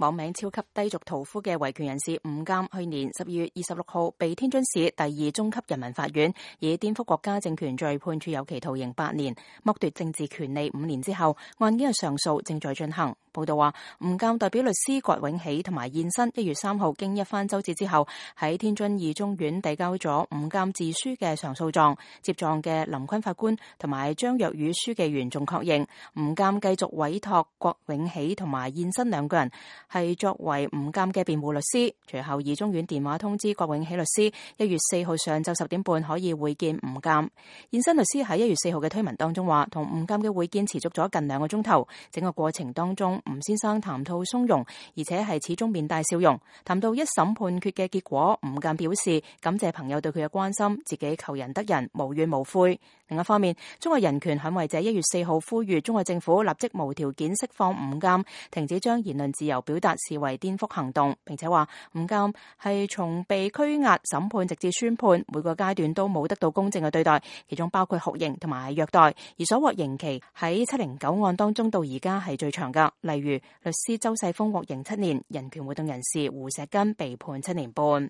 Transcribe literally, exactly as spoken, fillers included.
網名超級低俗屠夫嘅維權人士吳鑑，去年十二月二十六號被天津市第二中級人民法院以顛覆國家政權罪判處有期徒刑八年，剝奪政治權利五年之後，案件嘅上訴正在進行。報道話，吳鑑代表律師郭永喜同埋現身一月三號經一番周折之後，喺天津二中院遞交咗吳鑑自書嘅上訴狀。接狀嘅林坤法官同埋張若宇書記員仲確認，吳鑑繼續委託郭永喜同埋現身兩個人係作為吳鑑嘅辯護律師。隨後二中院電話通知郭永喜律師，一月四號上晝十點半可以會見吳鑑。現身律師喺一月四號嘅推文當中話，同吳鑑嘅會見持續咗近兩個鐘頭，整個過程當中，吳先生談吐鬆容，而且係始終面帶笑容。談到一審判決嘅結果，吳鑑表示感謝朋友對佢嘅關心，自己求仁得仁，無怨無悔。另一方面，中國人權捍衛者一月四號呼籲中國政府立即無條件釋放吳鑑，停止將言論自由表達視為顛覆行動，並且話吳鑑係從被拘押、審判直至宣判每個階段都冇得到公正嘅對待，其中包括酷刑同埋虐待，而所獲刑期喺七零九案當中到而家係最長噶。例如律師周世峰獲刑七年，人權活動人士胡錫根被判七年半。